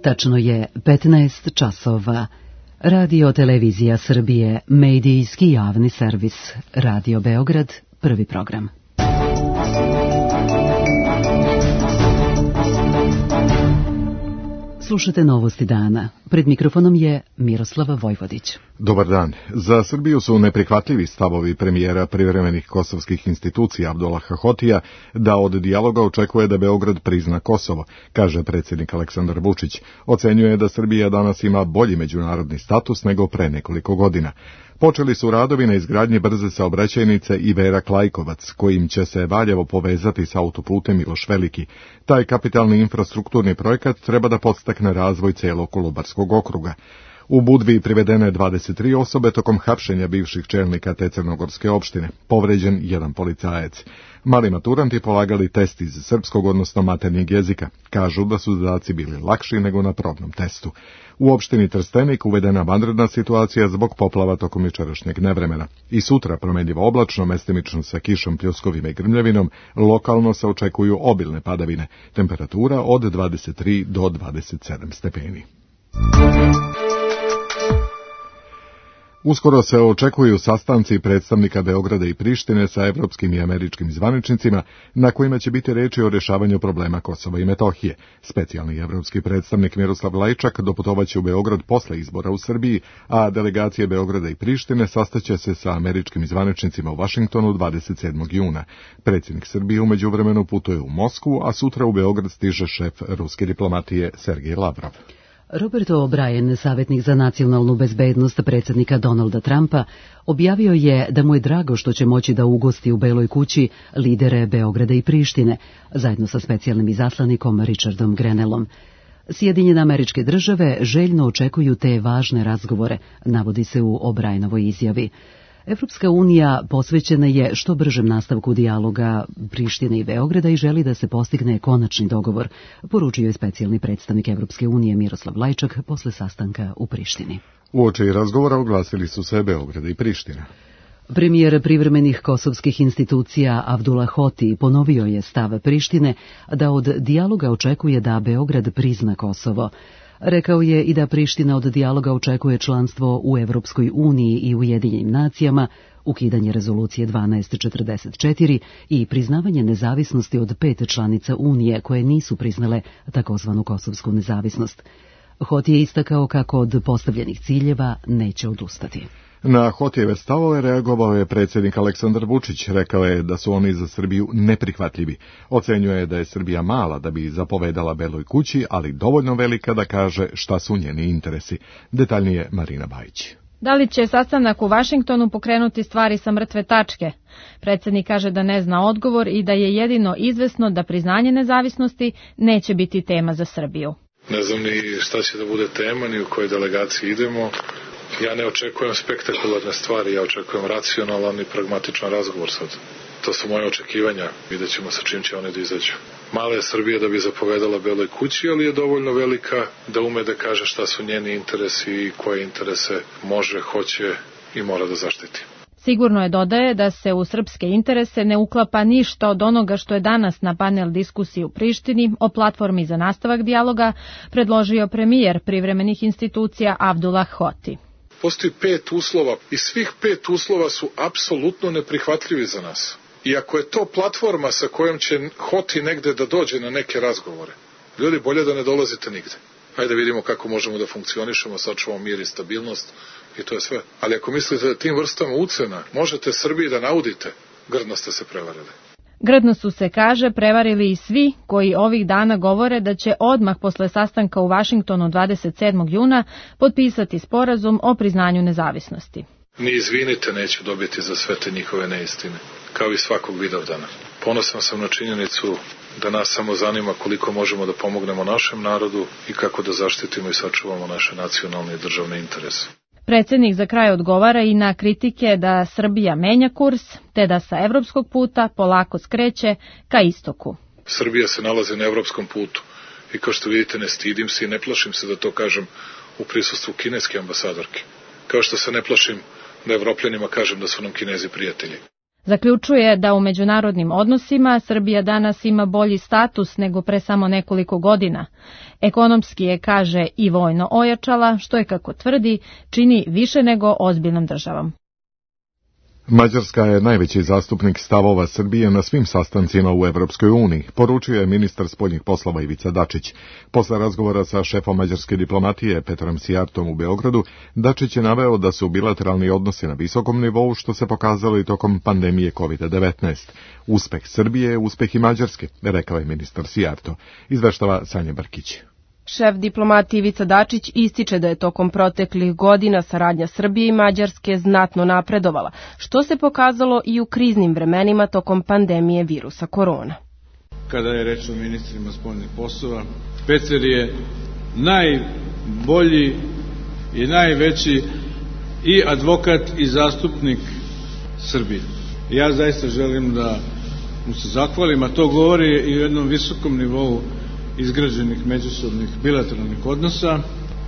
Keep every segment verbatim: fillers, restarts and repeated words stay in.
Tačno je petnaest časova. Radio Televizija Srbije, medijski javni servis. Radio Beograd, prvi program. Slušate novosti dana. Pred mikrofonom je Miroslava Vojvodić. Dobar dan. Za Srbiju su neprihvatljivi stavovi premijera privremenih kosovskih institucija Abdullaha Hotija da od dijaloga očekuje da Beograd prizna Kosovo, kaže predsjednik Aleksandar Vučić. Ocenjuje da Srbija danas ima bolji međunarodni status nego pre nekoliko godina. Počeli su radovi na izgradnji brze saobraćajnice Iverak-Lajkovac, kojim će se Valjevo povezati sa autoputem Miloš Veliki. Taj kapitalni infrastrukturni projekat treba da podstakne razvoj celog Kolubarskog okruga. U Budvi privedene dvadeset tri osobe tokom hapšenja bivših čelnika te crnogorske opštine. Povređen jedan policajac. Mali maturanti polagali test iz srpskog, odnosno maternjeg jezika. Kažu da su zadaci bili lakši nego na probnom testu. U opštini Trstenik uvedena vanredna situacija zbog poplava tokom jučerašnjeg nevremena. I sutra promenljivo oblačno, mestimično sa kišom, pljuskovima i grmljavinom, lokalno se očekuju obilne padavine. Temperatura od dvadeset tri do dvadeset sedam stepeni. Uskoro se očekuju sastanci predstavnika Beograda i Prištine sa evropskim i američkim zvaničnicima, na kojima će biti reči o rješavanju problema Kosova i Metohije. Specijalni evropski predstavnik Miroslav Lajčak doputovaće u Beograd posle izbora u Srbiji, a delegacije Beograda i Prištine sastaće se sa američkim zvaničnicima u Vašingtonu dvadeset sedmog juna. Predsjednik Srbije u međuvremenu putuje u Moskvu, a sutra u Beograd stiže šef ruske diplomatije Sergej Lavrov. Robert O'Brien, savjetnik za nacionalnu bezbednost predsjednika Donalda Trumpa, objavio je da mu je drago što će moći da ugosti u Beloj kući lidere Beograda i Prištine, zajedno sa specijalnim izaslanikom Richardom Grenellom. Sjedinjene Američke Države željno očekuju te važne razgovore, navodi se u O'Brienovoj izjavi. Evropska unija posvećena je što bržem nastavku dijaloga Prištine i Beograda i želi da se postigne konačni dogovor, poručio je specijalni predstavnik Evropske unije Miroslav Lajčak posle sastanka u Prištini. Uoči razgovora oglasili su se Beograda i Priština. Premijer privremenih kosovskih institucija Abdullah Hoti ponovio je stav Prištine da od dijaloga očekuje da Beograd prizna Kosovo. Rekao je i da Priština od dijaloga očekuje članstvo u Evropskoj uniji i Ujedinjenim nacijama, ukidanje rezolucije dvanaest četrdeset četiri i priznavanje nezavisnosti od pet članica Unije koje nisu priznale takozvanu kosovsku nezavisnost. Hoti je istakao kako od postavljenih ciljeva neće odustati. Na Hotijeve stavove reagovao je predsjednik Aleksandar Vučić. Rekao je da su oni za Srbiju neprihvatljivi. Ocenjuje da je Srbija mala da bi zapovedala Beloj kući, ali dovoljno velika da kaže šta su njeni interesi. Detaljnije Marina Bajić. Da li će sastanak u Vašingtonu pokrenuti stvari sa mrtve tačke? Predsjednik kaže da ne zna odgovor i da je jedino izvesno da priznanje nezavisnosti neće biti tema za Srbiju. Ne znam ni šta će da bude tema, ni u kojoj delegaciji idemo. Ja ne očekujem spektakularne stvari, ja očekujem racionalan i pragmatičan razgovor sad. To su moje očekivanja, vidjet ćemo sa čim će oni da izađu. Mala je Srbija da bi zapovedala Beloj kući, ali je dovoljno velika da ume da kaže šta su njeni interesi i koje interese može, hoće i mora da zaštiti. Sigurno je, dodaje, da se u srpske interese ne uklapa ništa od onoga što je danas na panel diskusiji u Prištini o platformi za nastavak dijaloga predložio premijer privremenih institucija Abdullah Hoti. Postoji pet uslova i svih pet uslova su apsolutno neprihvatljivi za nas. I ako je to platforma sa kojom će Hoti negde da dođe na neke razgovore, ljudi, bolje da ne dolazite nigde. Hajde vidimo kako možemo da funkcionišemo, sačuvamo mir i stabilnost i to je sve. Ali ako mislite da tim vrstama ucena možete Srbiji da naudite, grdno ste se prevarili. Grdno su se, kaže, prevarili i svi koji ovih dana govore da će odmah posle sastanka u Vašingtonu dvadeset sedmog juna potpisati sporazum o priznanju nezavisnosti. Ni izvinite neću dobiti za sve te njihove neistine, kao i svakog vidovdana. Ponosan sam na činjenicu da nas samo zanima koliko možemo da pomognemo našem narodu i kako da zaštitimo i sačuvamo naše nacionalne i državne interese. Predsjednik za kraj odgovara i na kritike da Srbija menja kurs, te da sa evropskog puta polako skreće ka istoku. Srbija se nalazi na evropskom putu i kao što vidite ne stidim se i ne plašim se da to kažem u prisustvu kineske ambasadorke. Kao što se ne plašim da Evropljanima kažem da su nam Kinezi prijatelji. Zaključuje da u međunarodnim odnosima Srbija danas ima bolji status nego pre samo nekoliko godina. Ekonomski je, kaže, i vojno ojačala, što je, kako tvrdi, čini više nego ozbiljnom državom. Mađarska je najveći zastupnik stavova Srbije na svim sastancima u Evropskoj uniji, poručio je ministar spoljnih poslova Ivica Dačić. Posle razgovora sa šefom mađarske diplomatije Petrom Sijartom u Beogradu, Dačić je naveo da su bilateralni odnosi na visokom nivou, što se pokazalo i tokom pandemije kovid devetnaest. Uspeh Srbije je uspeh i Mađarske, rekao je ministar Sijarto. Izveštava Sanja Brkić. Šef diplomatije Ivica Dačić ističe da je tokom proteklih godina saradnja Srbije i Mađarske znatno napredovala, što se pokazalo i u kriznim vremenima tokom pandemije virusa korona. Kada je reč o ministrima spoljnih poslova, Peter je najbolji i najveći i advokat i zastupnik Srbije. Ja zaista želim da mu se zahvalim, a to govori i o jednom visokom nivou izgrađenih međusobnih bilateralnih odnosa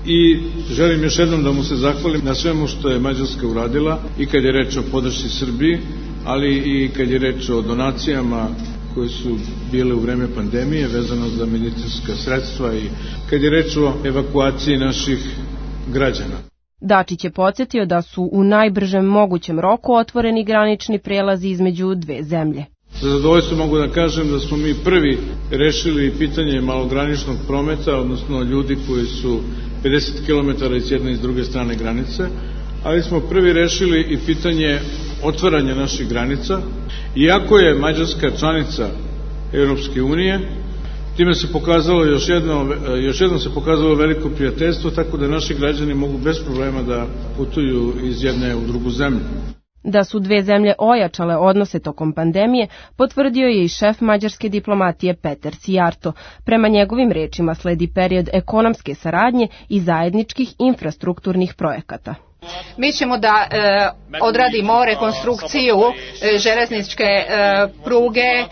i želim još jednom da mu se zahvalim na svemu što je Mađarska uradila i kad je reč o podršci Srbiji, ali i kad je reč o donacijama koje su bile u vreme pandemije vezano za medicinska sredstva i kad je reč o evakuaciji naših građana. Dačić je podsjetio da su u najbržem mogućem roku otvoreni granični prelazi između dve zemlje. Sa zadovoljstvom mogu da kažem da smo mi prvi rešili pitanje malograničnog prometa, odnosno ljudi koji su pedeset kilometara iz jedne i s druge strane granice, ali smo prvi rešili i pitanje otvaranja naših granica. Iako je Mađarska članica Europske unije, time se pokazalo još jedno, još jedno se pokazalo veliko prijateljstvo, tako da naši građani mogu bez problema da putuju iz jedne u drugu zemlju. Da su dve zemlje ojačale odnose tokom pandemije, potvrdio je i šef mađarske diplomatije Peter Sijarto. Prema njegovim rečima sledi period ekonomske saradnje i zajedničkih infrastrukturnih projekata. Mi ćemo da e, odradimo rekonstrukciju e, železničke e, pruge e,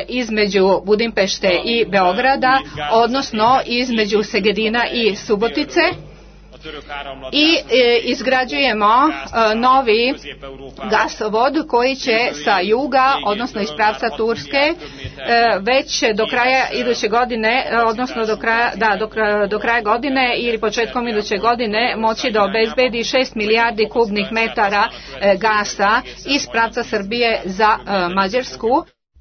između Budimpešte i Beograda, odnosno između Segedina i Subotice. I e, izgrađujemo e, novi gasovod koji će sa juga, odnosno iz pravca Turske, e, već do kraja iduće godine, odnosno do kraja, da, do, do kraja godine ili početkom iduće godine moći da obezbedi šest milijardi kubnih metara e, gasa iz pravca Srbije za e, Mađarsku.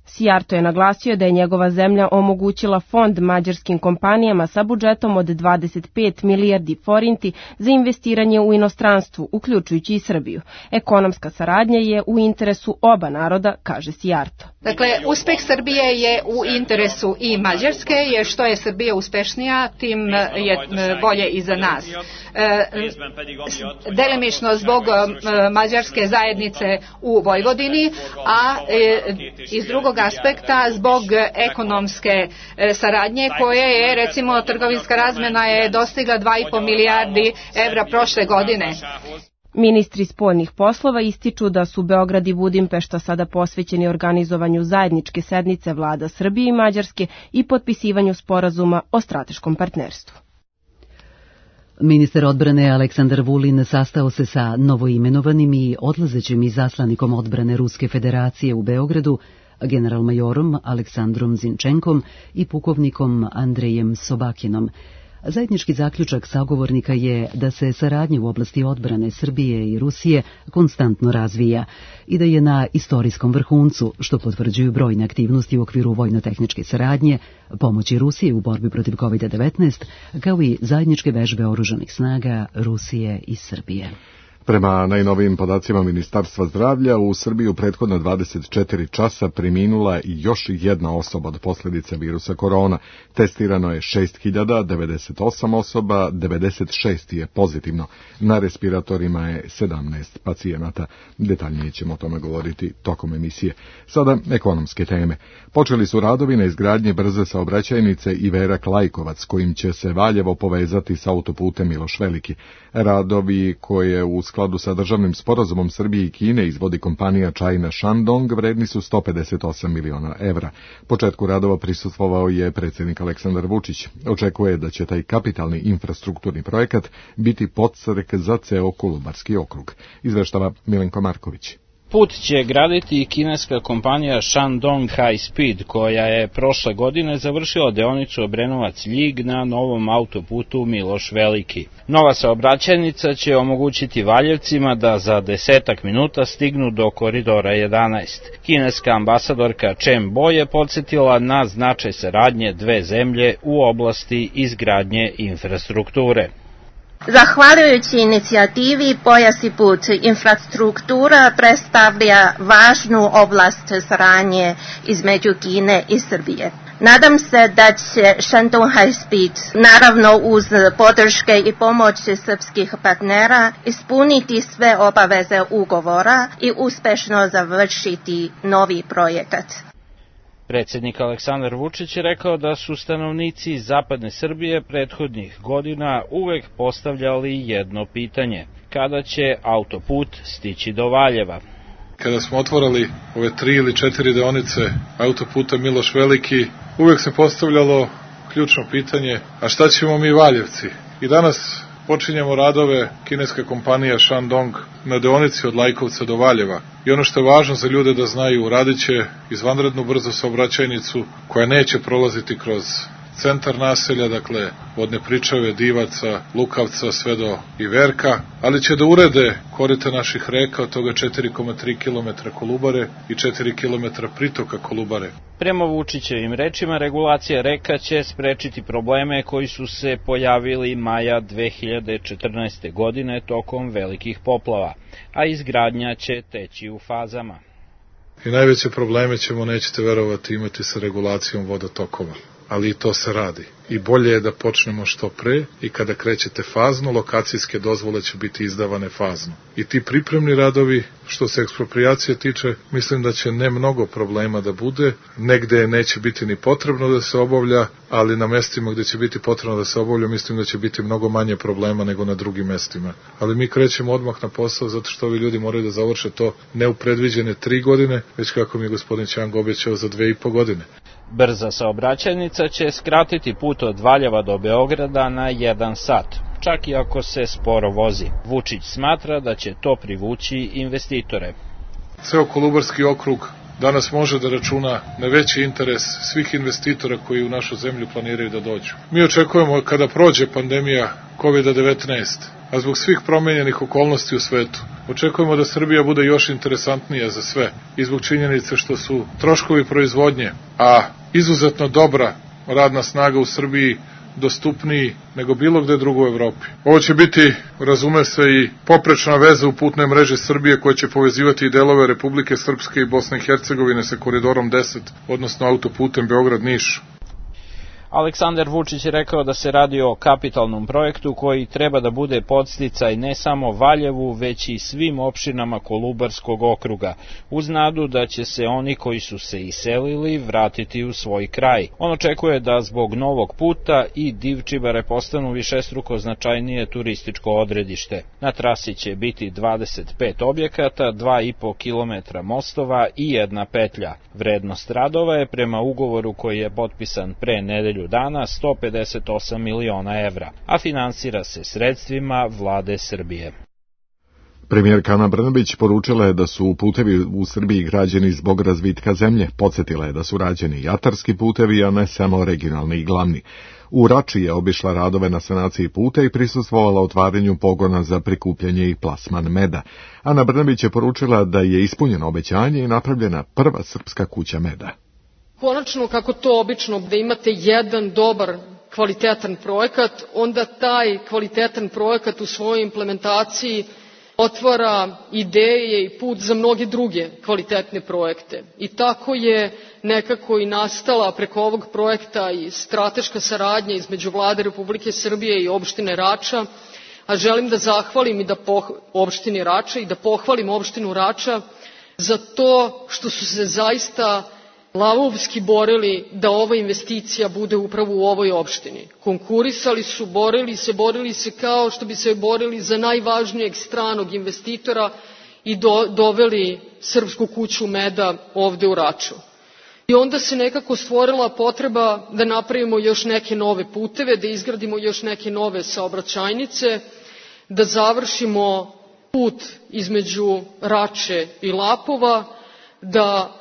Sijarto je naglasio da je njegova zemlja omogućila fond mađarskim kompanijama sa budžetom od dvadeset pet milijardi forinti za investiranje u inostranstvu, uključujući i Srbiju. Ekonomska saradnja je u interesu oba naroda, kaže Sijarto. Dakle, uspeh Srbije je u interesu i Mađarske, jer što je Srbija uspešnija, tim je bolje i za nas. E, delimično zbog e, mađarske zajednice u Vojvodini, a e, iz drugog aspekta zbog ekonomske e, saradnje koje je, recimo, trgovinska razmena je dostigla dva i po milijardi evra prošle godine. Ministri spoljnih poslova ističu da su Beograd i Budimpešta sada posvećeni organizovanju zajedničke sednice vlada Srbije i Mađarske i potpisivanju sporazuma o strateškom partnerstvu. Ministar odbrane Aleksandar Vulin sastao se sa novoimenovanim i odlazećim izaslanikom odbrane Ruske federacije u Beogradu, generalmajorom Aleksandrom Zinčenkom i pukovnikom Andrejem Sobakinom. Zajednički zaključak sagovornika je da se saradnja u oblasti odbrane Srbije i Rusije konstantno razvija i da je na istorijskom vrhuncu, što potvrđuju brojne aktivnosti u okviru vojno-tehničke saradnje, pomoći Rusije u borbi protiv kovid devetnaest, kao i zajedničke vežbe oružanih snaga Rusije i Srbije. Prema najnovijim podacima Ministarstva zdravlja, u Srbiji u prethodna dvadeset četiri časa preminula još jedna osoba od posljedica virusa korona. Testirano je šest hiljada devedeset osam osoba, devedeset šest je pozitivno. Na respiratorima je sedamnaest pacijenata. Detaljnije ćemo o tome govoriti tokom emisije. Sada ekonomske teme. Počeli su radovi na izgradnji brze saobraćajnice Iverak Lajkovac, kojim će se Valjevo povezati sa autoputem Miloš Veliki. Radovi koje u skladu sa državnim sporazumom Srbije i Kine izvodi kompanija China Shandong vredni su sto pedeset osam miliona evra. Početku radova prisustvovao je predsjednik Aleksandar Vučić. Očekuje da će taj kapitalni infrastrukturni projekat biti podstrek za ceo Kolubarski okrug. Izveštava Milenko Marković. Put će graditi i kineska kompanija Shandong High Speed, koja je prošle godine završila deonicu Obrenovac-Ljig na novom autoputu Miloš Veliki. Nova saobraćajnica će omogućiti Valjevcima da za desetak minuta stignu do koridora jedanaest. Kineska ambasadorka Chen Bo je podsjetila na značaj saradnje dve zemlje u oblasti izgradnje infrastrukture. Zahvaljujući inicijativi Pojas i put, infrastruktura predstavlja važnu oblast saradnje između Kine i Srbije. Nadam se da će Shandong High Speed, naravno uz podrške i pomoć srpskih partnera, ispuniti sve obaveze ugovora i uspešno završiti novi projekat. Predsjednik Aleksandar Vučić je rekao da su stanovnici zapadne Srbije prethodnih godina uvek postavljali jedno pitanje: kada će autoput stići do Valjeva? Kada smo otvorili ove tri ili četiri deonice autoputa Miloš Veliki, uvek se postavljalo ključno pitanje: a šta ćemo mi Valjevci? I danas počinjemo radove kineske kompanije Shandong na deonici od Lajkovca do Valjeva. I ono što je važno za ljude da znaju, radit će izvanrednu brzu saobraćajnicu koja neće prolaziti kroz centar naselja, dakle od Nepričave, Divaca, Lukavca sve do Iverka, ali će da urede korita naših reka, od toga četiri zarez tri kilometra Kolubare i četiri kilometra pritoka Kolubare. Prema Vučićevim rečima, regulacija reka će sprečiti probleme koji su se pojavili maja dve hiljade četrnaeste. godine tokom velikih poplava, a izgradnja će teći u fazama. I najveće probleme ćemo, nećete verovati, imati sa regulacijom vodotokova. Ali i to se radi. I bolje je da počnemo što pre i kada krećete fazno, lokacijske dozvole će biti izdavane fazno. I ti pripremni radovi, što se ekspropriacije tiče, mislim da će ne mnogo problema da bude, negde neće biti ni potrebno da se obavlja, ali na mestima gde će biti potrebno da se obavlja, mislim da će biti mnogo manje problema nego na drugim mestima. Ali mi krećemo odmah na posao, zato što ovi ljudi moraju da završe to ne u predviđene tri godine, već kako mi je gospodin Ćang obećao za dve i po godine. Brza saobraćajnica će skratiti put od Valjeva do Beograda na jedan sat, čak i ako se sporo vozi. Vučić smatra da će to privući investitore. Ceo Kolubarski okrug danas može da računa na veći interes svih investitora koji u našu zemlju planiraju da dođu. Mi očekujemo kada prođe pandemija kovid devetnaest, a zbog svih promenjenih okolnosti u svetu, očekujemo da Srbija bude još interesantnija za sve i zbog činjenice što su troškovi proizvodnje, a izuzetno dobra radna snaga u Srbiji, dostupniji nego bilo gde drugo u Evropi. Ovo će biti, razume se, i poprečna veza u putnoj mreži Srbije koja će povezivati i delove Republike Srpske i Bosne i Hercegovine sa koridorom deset, odnosno autoputem Beograd-Niš. Aleksandar Vučić je rekao da se radi o kapitalnom projektu koji treba da bude podsticaj ne samo Valjevu, već i svim opštinama Kolubarskog okruga, uz nadu da će se oni koji su se iselili vratiti u svoj kraj. On očekuje da zbog novog puta i Divčibare postanu višestruko značajnije turističko odredište. Na trasi će biti dvadeset pet objekata, dva i po kilometra mostova i jedna petlja. Vrednost radova je prema ugovoru koji je potpisan pre nedelju dana sto pedeset osam miliona evra, a finansira se sredstvima vlade Srbije. Premijerka Ana Brnabić poručila je da su putevi u Srbiji građeni zbog razvitka zemlje. Podsjetila je da su rađeni i atarski putevi, a ne samo regionalni i glavni. U Rači je obišla radove na sanaciji puta i prisustvovala otvaranju pogona za prikupljanje i plasman meda. Ana Brnabić je poručila da je ispunjeno obećanje i napravljena prva srpska kuća meda. Konačno, kako to obično, da imate jedan dobar, kvalitetan projekat, onda taj kvalitetan projekat u svojoj implementaciji otvara ideje i put za mnoge druge kvalitetne projekte. I tako je nekako i nastala preko ovog projekta i strateška saradnja između Vlade Republike Srbije i opštine Rača, a želim da zahvalim i da poh... opštini Rača i da pohvalim opštinu Rača za to što su se zaista lavovski borili da ova investicija bude upravo u ovoj opštini. Konkurisali su, borili se, borili se kao što bi se borili za najvažnijeg stranog investitora i do, doveli Srpsku kuću meda ovde u Raču. I onda se nekako stvorila potreba da napravimo još neke nove puteve, da izgradimo još neke nove saobraćajnice, da završimo put između Rače i Lapova, da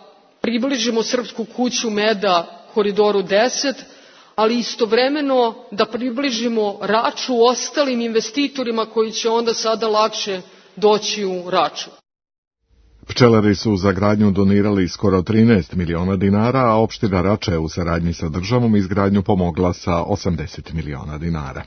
približimo Srpsku kuću meda Koridoru deset, ali istovremeno da približimo Raču ostalim investitorima koji će onda sada lakše doći u Raču. Pčelari su za gradnju donirali skoro trinaest miliona dinara, a opština Rača je u saradnji sa državom izgradnju pomogla sa osamdeset miliona dinara.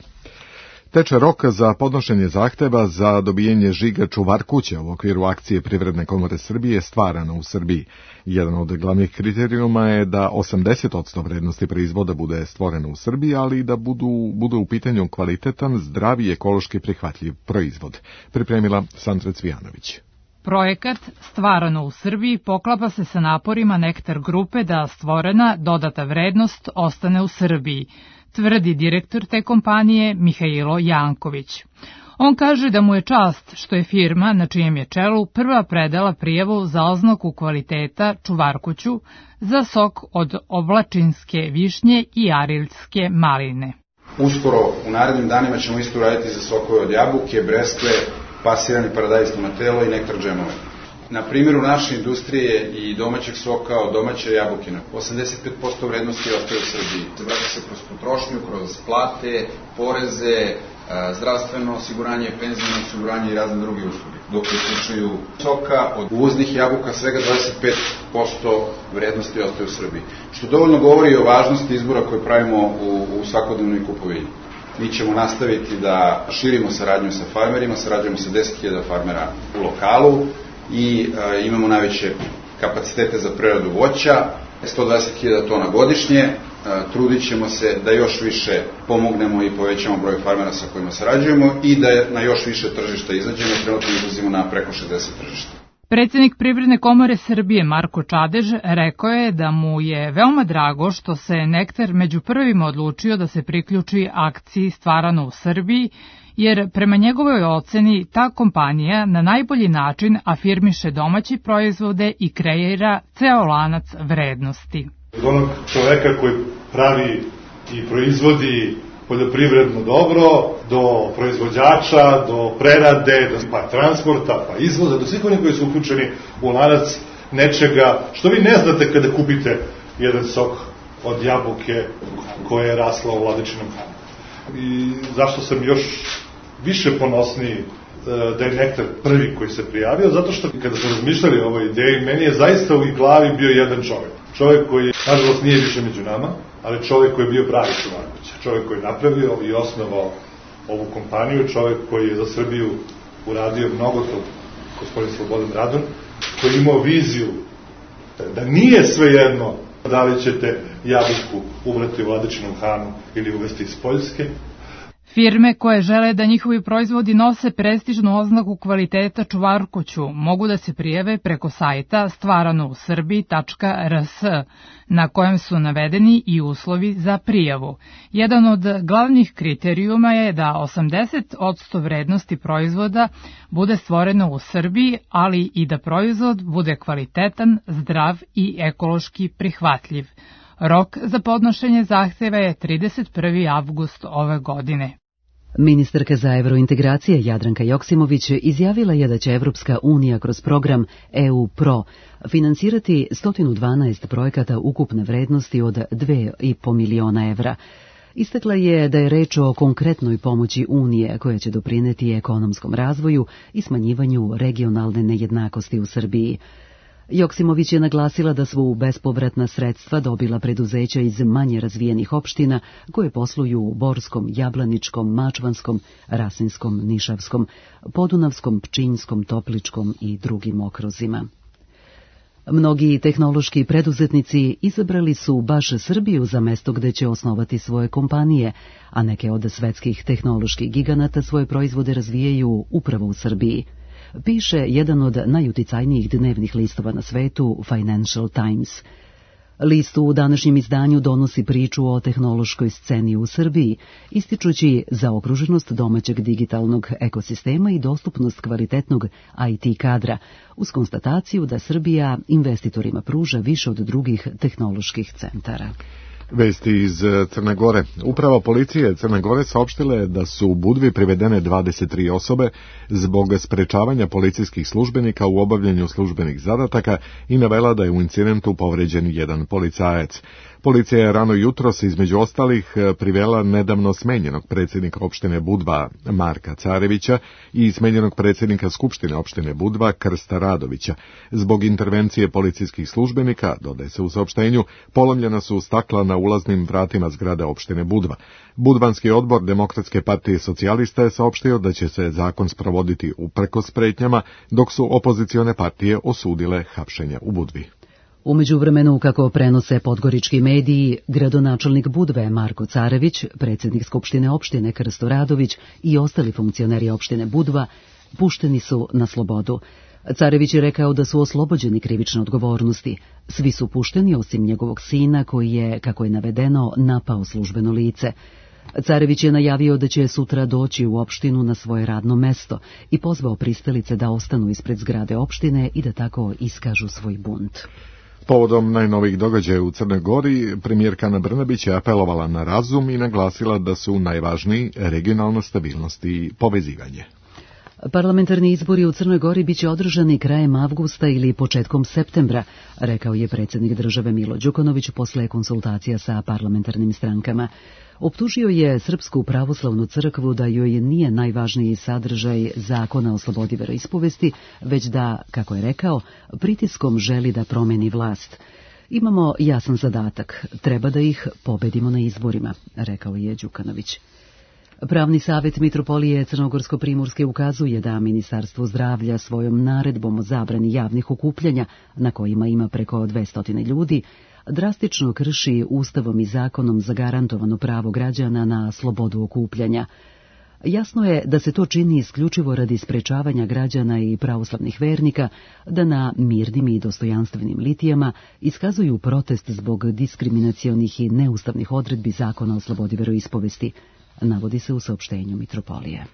Teče rok za podnošenje zahteva za dobijanje žiga čuvar kuće u okviru akcije Privredne komore Srbije Stvarano u Srbiji. Jedan od glavnih kriterijuma je da osamdeset posto vrednosti proizvoda bude stvoreno u Srbiji, ali i da budu, bude u pitanju kvalitetan, zdrav i ekološki prihvatljiv proizvod. Pripremila Sandra Cvijanović. Projekat Stvarano u Srbiji poklapa se sa naporima Nektar grupe da stvorena dodata vrednost ostane u Srbiji, tvrdi direktor te kompanije Mihajlo Janković. On kaže da mu je čast što je firma na čijem je čelu prva predala prijavu za oznaku kvaliteta čuvarkuću za sok od oblačinske višnje i ariljske maline. Uskoro u narednim danima ćemo isto raditi za sokove od jabuke, breskve, pasirani paradajz tomatelo i nektar džemove. Na primjeru naše industrije i domaćeg soka od domaće jabukina, osamdeset pet posto vrednosti ostaje u Srbiji. Vraća se kroz potrošnju, kroz plate, poreze, zdravstveno osiguranje, penzijno osiguranje i razne druge usluge. Dok u slučaju soka od uvoznih jabuka svega dvadeset pet posto vrednosti ostaje u Srbiji. Što dovoljno govori o važnosti izbora koje pravimo u, u svakodnevnoj kupovini. Mi ćemo nastaviti da širimo saradnju sa farmerima, sarađujemo sa deset hiljada farmera u lokalu i e, imamo najveće kapacitete za preradu voća, sto dvadeset hiljada tona godišnje. E, trudit ćemo se da još više pomognemo i povećamo broj farmera sa kojima sarađujemo i da na još više tržišta izađemo, trenutno izlazimo na preko šezdeset tržišta. Predsjednik Privredne komore Srbije Marko Čadež rekao je da mu je veoma drago što se Nektar među prvima odlučio da se priključi akciji Stvarano u Srbiji, jer prema njegovoj oceni ta kompanija na najbolji način afirmiše domaće proizvode i kreira ceo lanac vrednosti. Od onog čoveka koji pravi i proizvodi poljoprivredno dobro, do proizvođača, do prerade, pa transporta, pa izvoza, do svih onih koji su uključeni u lanac nečega što vi ne znate kada kupite jedan sok od jabuke koja je rasla u Vladičinom Hanu. I zašto sam još više ponosniji da je Nektar prvi koji se prijavio, zato što kada smo razmišljali o ovoj ideji, meni je zaista u glavi bio jedan čovjek. Čovjek koji, nažalost, nije više među nama, ali čovjek koji je bio pravi čuvarkuća. Čovjek koji je napravio i osnovao ovu kompaniju, čovjek koji je za Srbiju uradio mnogo to, gospodin Slobodan Radon, koji je imao viziju da nije svejedno da li ćete jabuku ubrati u Vladičinom Hanu ili uvesti iz Poljske. Firme koje žele da njihovi proizvodi nose prestižnu oznaku kvaliteta čuvarkuću mogu da se prijave preko sajta stvarano u srbiji tačka r s, na kojem su navedeni i uslovi za prijavu. Jedan od glavnih kriterijuma je da osamdeset posto vrednosti proizvoda bude stvoreno u Srbiji, ali i da proizvod bude kvalitetan, zdrav i ekološki prihvatljiv. Rok za podnošenje zahteva je trideset prvi avgust ove godine. Ministarka za evrointegracije Jadranka Joksimović izjavila je da će Evropska unija kroz program E U Pro finansirati sto dvanaest projekata ukupne vrednosti od dva i po miliona evra. Istakla je da je reč o konkretnoj pomoći Unije koja će doprineti ekonomskom razvoju i smanjivanju regionalne nejednakosti u Srbiji. Joksimović je naglasila da su bespovratna sredstva dobila preduzeća iz manje razvijenih opština koje posluju u Borskom, Jablaničkom, Mačvanskom, Rasinskom, Nišavskom, Podunavskom, Pčinjskom, Topličkom i drugim okruzima. Mnogi tehnološki preduzetnici izabrali su baš Srbiju za mesto gde će osnovati svoje kompanije, a neke od svetskih tehnoloških giganata svoje proizvode razvijaju upravo u Srbiji. Piše jedan od najuticajnijih dnevnih listova na svetu, Financial Times. List u današnjem izdanju donosi priču o tehnološkoj sceni u Srbiji, ističući zaokruženost domaćeg digitalnog ekosistema i dostupnost kvalitetnog I T kadra, uz konstataciju da Srbija investitorima pruža više od drugih tehnoloških centara. Vesti iz Crne Gore. Uprava policije Crne Gore saopštila je da su u Budvi privedene dvadeset tri osobe zbog sprečavanja policijskih službenika u obavljanju službenih zadataka i navela da je u incidentu povređen jedan policajac. Policija je rano jutros između ostalih privela nedavno smenjenog predsjednika opštine Budva Marka Carevića i smenjenog predsjednika Skupštine opštine Budva Krsta Radovića. Zbog intervencije policijskih službenika, dodaje se u saopštenju, polomljena su stakla na ulaznim vratima zgrade opštine Budva. Budvanski odbor Demokratske partije socijalista je saopštio da će se zakon sprovoditi uprkos pretnjama, dok su opozicione partije osudile hapšenje u Budvi. U međuvremenu, kako prenose podgorički mediji, gradonačelnik Budve Marko Carević, predsjednik Skupštine opštine Krsto Radović i ostali funkcioneri opštine Budva pušteni su na slobodu. Carević je rekao da su oslobođeni krivične odgovornosti. Svi su pušteni osim njegovog sina koji je, kako je navedeno, napao službeno lice. Carević je najavio da će sutra doći u opštinu na svoje radno mesto i pozvao pristalice da ostanu ispred zgrade opštine i da tako iskažu svoj bunt. Povodom najnovijih događaja u Crnoj Gori, premijerka Ana Brnabić je apelovala na razum i naglasila da su najvažniji regionalna stabilnost i povezivanje. Parlamentarni izbori u Crnoj Gori biće održani krajem avgusta ili početkom septembra, rekao je predsjednik države Milo Đukanović posle konsultacija sa parlamentarnim strankama. Optužio je Srpsku pravoslavnu crkvu da joj nije najvažniji sadržaj zakona o slobodi veroispovesti, već da, kako je rekao, pritiskom želi da promeni vlast. Imamo jasan zadatak, treba da ih pobedimo na izborima, rekao je Đukanović. Pravni savjet Mitropolije Crnogorsko-Primorske ukazuje da Ministarstvo zdravlja svojom naredbom o zabrani javnih okupljanja, na kojima ima preko dvesta ljudi, drastično krši Ustavom i zakonom zagarantovano pravo građana na slobodu okupljanja. Jasno je da se to čini isključivo radi sprečavanja građana i pravoslavnih vernika da na mirnim i dostojanstvenim litijama iskazuju protest zbog diskriminacionih i neustavnih odredbi zakona o slobodi veroispovesti, navodi se u saopštenju Mitropolije.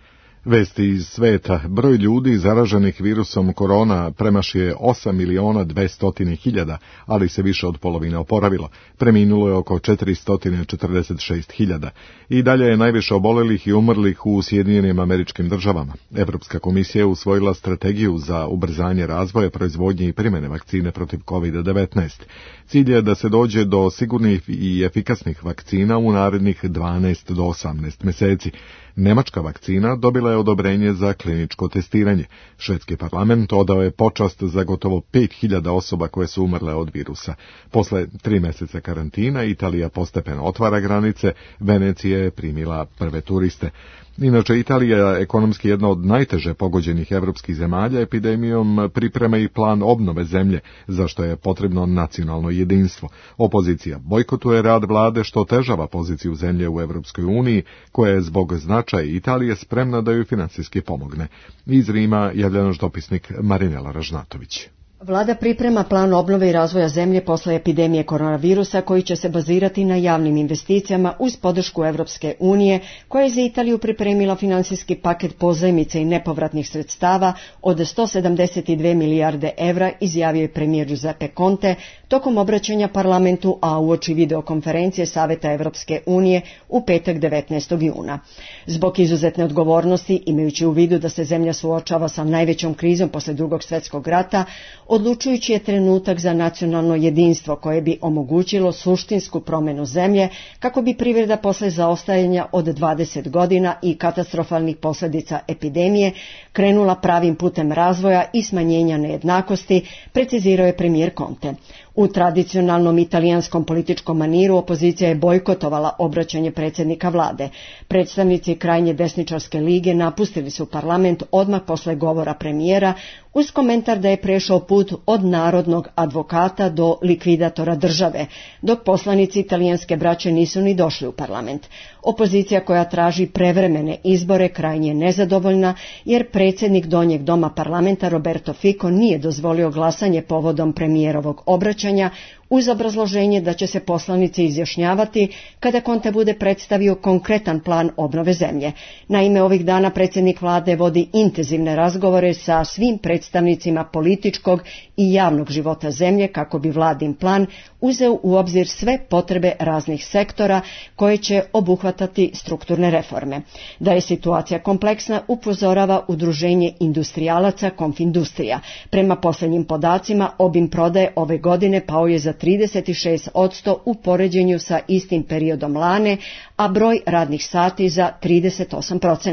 Vesti iz sveta. Broj ljudi zaraženih virusom korona premašio osam miliona dvesta hiljada, ali se više od polovine oporavilo. Preminulo je oko četiristo četrdeset šest hiljada. I dalje je najviše obolelih i umrlih u Sjedinjenim Američkim Državama. Evropska komisija je usvojila strategiju za ubrzanje razvoja, proizvodnje i primjene vakcine protiv kovid devetnaest. Cilj je da se dođe do sigurnih i efikasnih vakcina u narednih dvanaest do osamnaest meseci. Nemačka vakcina dobila je odobrenje za kliničko testiranje. Švedski parlament odao je počast za gotovo pet hiljada osoba koje su umrle od virusa. Posle tri meseca karantina Italija postepeno otvara granice, Venecija je primila prve turiste. Inače, Italija je ekonomski jedna od najteže pogođenih evropskih zemalja epidemijom, priprema i plan obnove zemlje, za što je potrebno nacionalno jedinstvo. Opozicija bojkotuje rad vlade, što otežava poziciju zemlje u Evropskoj uniji, koja je zbog značaja Italije spremna da ju finansijski pomogne. Iz Rima javlja naš dopisnik Marinela Ražnatović. Vlada priprema plan obnove i razvoja zemlje posle epidemije koronavirusa koji će se bazirati na javnim investicijama uz podršku Evropske unije, koja je za Italiju pripremila finansijski paket pozajmice i nepovratnih sredstava od sto sedamdeset dve milijarde evra, izjavio je premijer Giuseppe Conte tokom obraćanja parlamentu, a uoči videokonferencije Saveta Evropske unije u petak devetnaestog juna. Zbog izuzetne odgovornosti, imajući u vidu da se zemlja suočava sa najvećom krizom posle drugog svjetskog rata, odlučujući je trenutak za nacionalno jedinstvo koje bi omogućilo suštinsku promjenu zemlje kako bi privreda posle zaostajanja od dvadeset godina i katastrofalnih posljedica epidemije krenula pravim putem razvoja i smanjenja nejednakosti, precizirao je premijer Conte. U tradicionalnom italijanskom političkom maniru opozicija je bojkotovala obraćanje predsjednika vlade. Predstavnici krajnje desničarske lige napustili su parlament odmah posle govora premijera uz komentar da je prešao put od narodnog advokata do likvidatora države, dok poslanici italijanske braće nisu ni došli u parlament. Opozicija koja traži prevremene izbore krajnje je nezadovoljna jer predsjednik donjeg doma parlamenta Roberto Fico nije dozvolio glasanje povodom premijerovog obraćanja uz obrazloženje da će se poslanici izjašnjavati kada Conte bude predstavio konkretan plan obnove zemlje. Naime, ovih dana predsjednik vlade vodi intenzivne razgovore sa svim predstavnicima političkog i javnog života zemlje kako bi vladin plan uzeo u obzir sve potrebe raznih sektora koje će obuhvatati strukturne reforme. Da je situacija kompleksna upozorava Udruženje industrijalaca Konfindustrija. Prema posljednjim podacima, obim prodaje ove godine pao je za trideset šest posto u poređenju sa istim periodom lane, a broj radnih sati za trideset osam posto.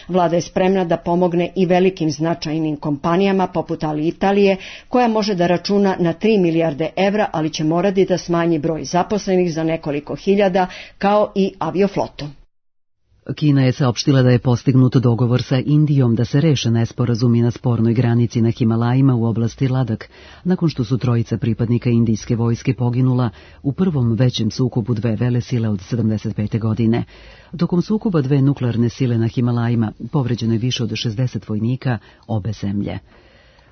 Vlada je spremna da pomogne i velikim značajnim kompanijama poput Alitalije, koja može da računa na tri milijarde evra, ali će morati da smanji broj zaposlenih za nekoliko hiljada, kao i avioflotu. Kina je saopštila da je postignut dogovor sa Indijom da se reše nesporazumi na spornoj granici na Himalajima u oblasti Ladak, nakon što su trojica pripadnika indijske vojske poginula u prvom većem sukobu dve velesile od sedamdeset pete godine. Tokom sukoba dve nuklearne sile na Himalajima povređeno je više od šezdeset vojnika obe zemlje.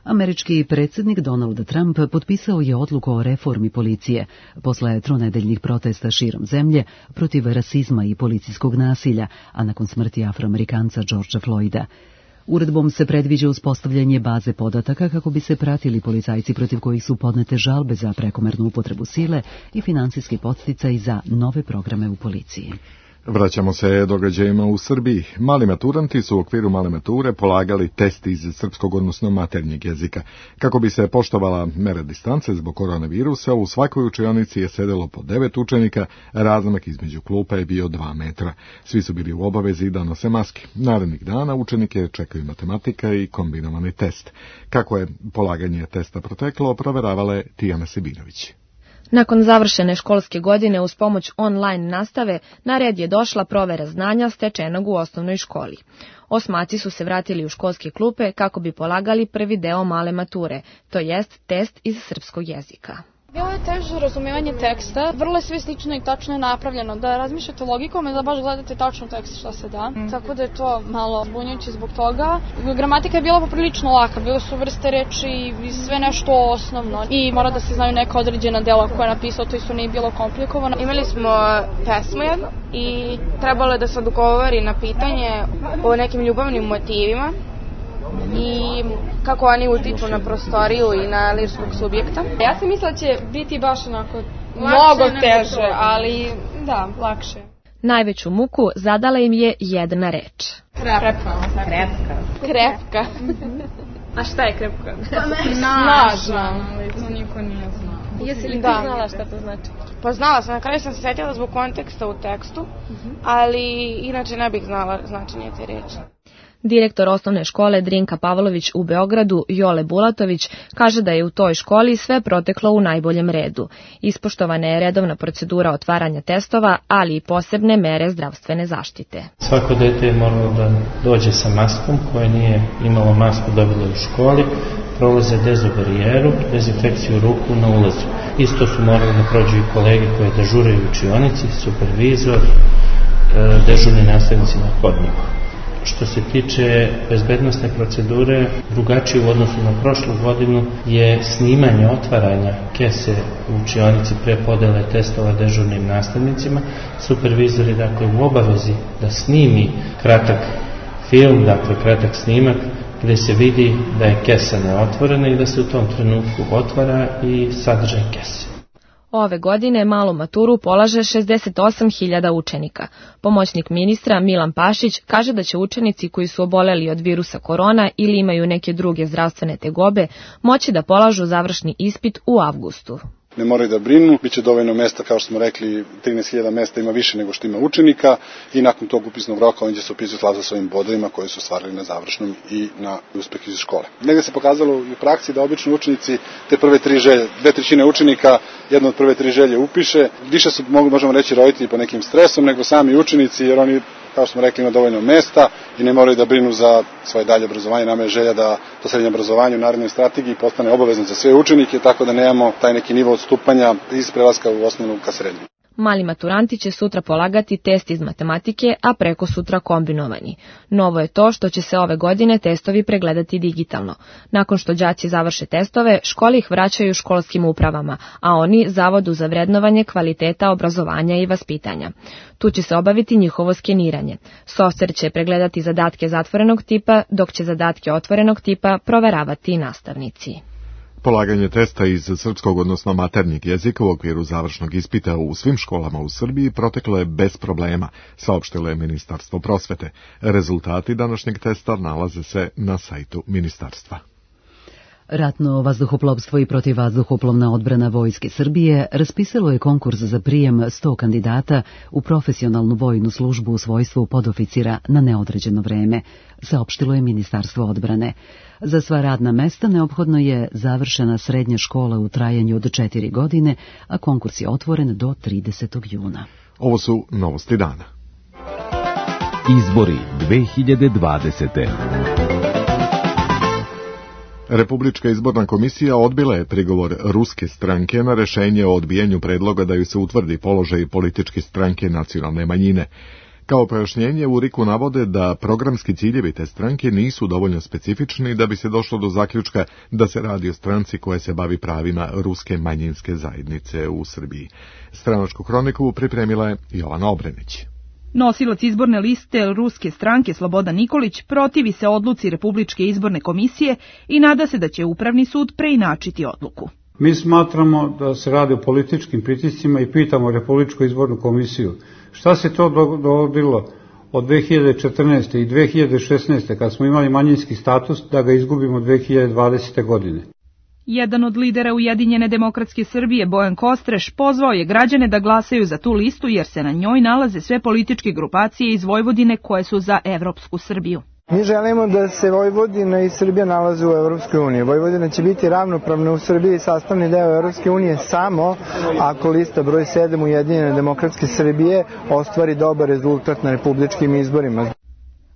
Američki predsjednik Donald Trump potpisao je odluku o reformi policije posle tronedeljnih protesta širom zemlje protiv rasizma i policijskog nasilja, a nakon smrti Afroamerikanca Georgea Floyda. Uredbom se predviđa uspostavljanje baze podataka kako bi se pratili policajci protiv kojih su podnete žalbe za prekomernu upotrebu sile i finansijski podsticaj za nove programe u policiji. Vraćamo se događajima u Srbiji. Mali maturanti su u okviru male mature polagali test iz srpskog, odnosno maternjeg jezika. Kako bi se poštovala mera distance zbog koronavirusa, u svakoj učionici je sedelo po devet učenika, razmak između klupa je bio dva metra. Svi su bili u obavezi da nose maske. Narednih dana učenike čekaju matematika i kombinovani test. Kako je polaganje testa proteklo, proveravala je Tijana Sebinović. Nakon završene školske godine uz pomoć online nastave, na red je došla provera znanja stečenog u osnovnoj školi. Osmaci su se vratili u školske klupe kako bi polagali prvi deo male mature, to jest test iz srpskog jezika. Bilo je teže razumijevanje teksta, vrlo je sve slično i tačno je napravljeno, da razmišljate logikom i da baš gledate tačno tekst šta se da, mm. tako da je to malo zbunjujuće zbog toga. Gramatika je bila poprilično laka, bile su vrste reči i sve nešto osnovno i mora da se znaju neka određena dela koja je napisao, to isto nije bilo komplikovano. Imali smo pesmu jednu i trebalo je da se odgovori na pitanje o nekim ljubavnim motivima i kako oni utiču na prostoriju i na lirskog subjekta. Ja sam mislila da će biti baš onako mnogo teže, ali da, lakše. Najveću muku zadala im je jedna reč. Krepka. Krepka. Krepka. A šta je krepka? Snažna. To niko nije znao. Jesi li ti znala šta to znači? Pa znala sam, na kraju sam se sjetila zbog konteksta u tekstu, ali inače ne bih znala značenje te reči. Direktor osnovne škole Drinka Pavlović u Beogradu, Jole Bulatović, kaže da je u toj školi sve proteklo u najboljem redu. Ispoštovana je redovna procedura otvaranja testova, ali i posebne mere zdravstvene zaštite. Svako dete je moralo da dođe sa maskom, koje nije imalo masku dobilo u školi, prolaze dezobarijeru, dezinfekciju ruku na ulazu. Isto su morali da prođu i kolege koje dežuraju u učionici, supervizor, dežurni nastavnici na hodniku. Što se tiče bezbednosne procedure, drugačije u odnosu na prošlu godinu je snimanje otvaranja kese u učionici pre podele testova dežurnim nastavnicima. Supervizor je dakle u obavezi da snimi kratak film, dakle kratak snimak, gde se vidi da je kesa neotvorena i da se u tom trenutku otvara i sadržaj kese. Ove godine malu maturu polaže šezdeset osam hiljada učenika. Pomoćnik ministra Milan Pašić kaže da će učenici koji su oboleli od virusa korona ili imaju neke druge zdravstvene tegobe moći da polažu završni ispit u avgustu. Ne moraju da brinu, bit će dovoljno mesta, kao što smo rekli, trinaest hiljada mesta ima više nego što ima učenika i nakon tog upisnog roka on će se upisati sa svojim bodovima koje su ostvarili na završnom i na uspeh iz škole. Negde se pokazalo u praksi da obično učenici te prve tri želje, dve trećine učenika jedno od prve tri želje upiše, više su, možemo reći, roditelji po nekim stresom nego sami učenici, jer oni, kao što smo rekli, ima dovoljno mesta i ne moraju da brinu za svoje dalje obrazovanje. Nama je želja da to srednje obrazovanje u narednoj strategiji postane obavezno za sve učenike, tako da nemamo taj neki nivo odstupanja iz prelaska u osnovnu ka srednju. Mali maturanti će sutra polagati test iz matematike, a preko sutra kombinovani. Novo je to što će se ove godine testovi pregledati digitalno. Nakon što đaci završe testove, škole ih vraćaju školskim upravama, a oni Zavodu za vrednovanje kvaliteta obrazovanja i vaspitanja. Tu će se obaviti njihovo skeniranje. Softver će pregledati zadatke zatvorenog tipa, dok će zadatke otvorenog tipa proveravati nastavnici. Polaganje testa iz srpskog, odnosno maternjeg jezika u okviru završnog ispita u svim školama u Srbiji proteklo je bez problema, saopštilo je Ministarstvo prosvete. Rezultati današnjeg testa nalaze se na sajtu ministarstva. Ratno vazduhoplovstvo i protivvazduhoplovna odbrana Vojske Srbije raspisalo je konkurs za prijem sto kandidata u profesionalnu vojnu službu u svojstvu podoficira na neodređeno vreme, saopštilo je Ministarstvo odbrane. Za sva radna mesta neophodno je završena srednja škola u trajanju od četiri godine, a konkurs je otvoren do tridesetog juna. Ovo su novosti dana. Izbori dve hiljade dvadesete. Republička izborna komisija odbila je prigovor ruske stranke na rešenje o odbijanju predloga da ju se utvrdi položaj političke stranke nacionalne manjine. Kao pojašnjenje u RIK-u navode da programski ciljevi te stranke nisu dovoljno specifični da bi se došlo do zaključka da se radi o stranci koja se bavi pravima ruske manjinske zajednice u Srbiji. Stranačku hroniku pripremila je Jovana Obrenić. Nosilac izborne liste ruske stranke Slobodan Nikolić protivi se odluci Republičke izborne komisije i nada se da će Upravni sud preinačiti odluku. Mi smatramo da se radi o političkim pritiscima i pitamo Republičku izbornu komisiju šta se to dogodilo od dve hiljade četrnaeste. i dve hiljade šesnaeste. kad smo imali manjinski status da ga izgubimo dve hiljade dvadesete. godine. Jedan od lidera Ujedinjene demokratske Srbije, Bojan Kostreš, pozvao je građane da glasaju za tu listu jer se na njoj nalaze sve političke grupacije iz Vojvodine koje su za evropsku Srbiju. Mi želimo da se Vojvodina i Srbija nalaze u Evropskoj uniji. Vojvodina će biti ravnopravna u Srbiji, sastavni deo Evropske unije samo ako lista broj sedam Ujedinjene demokratske Srbije ostvari dobar rezultat na republičkim izborima.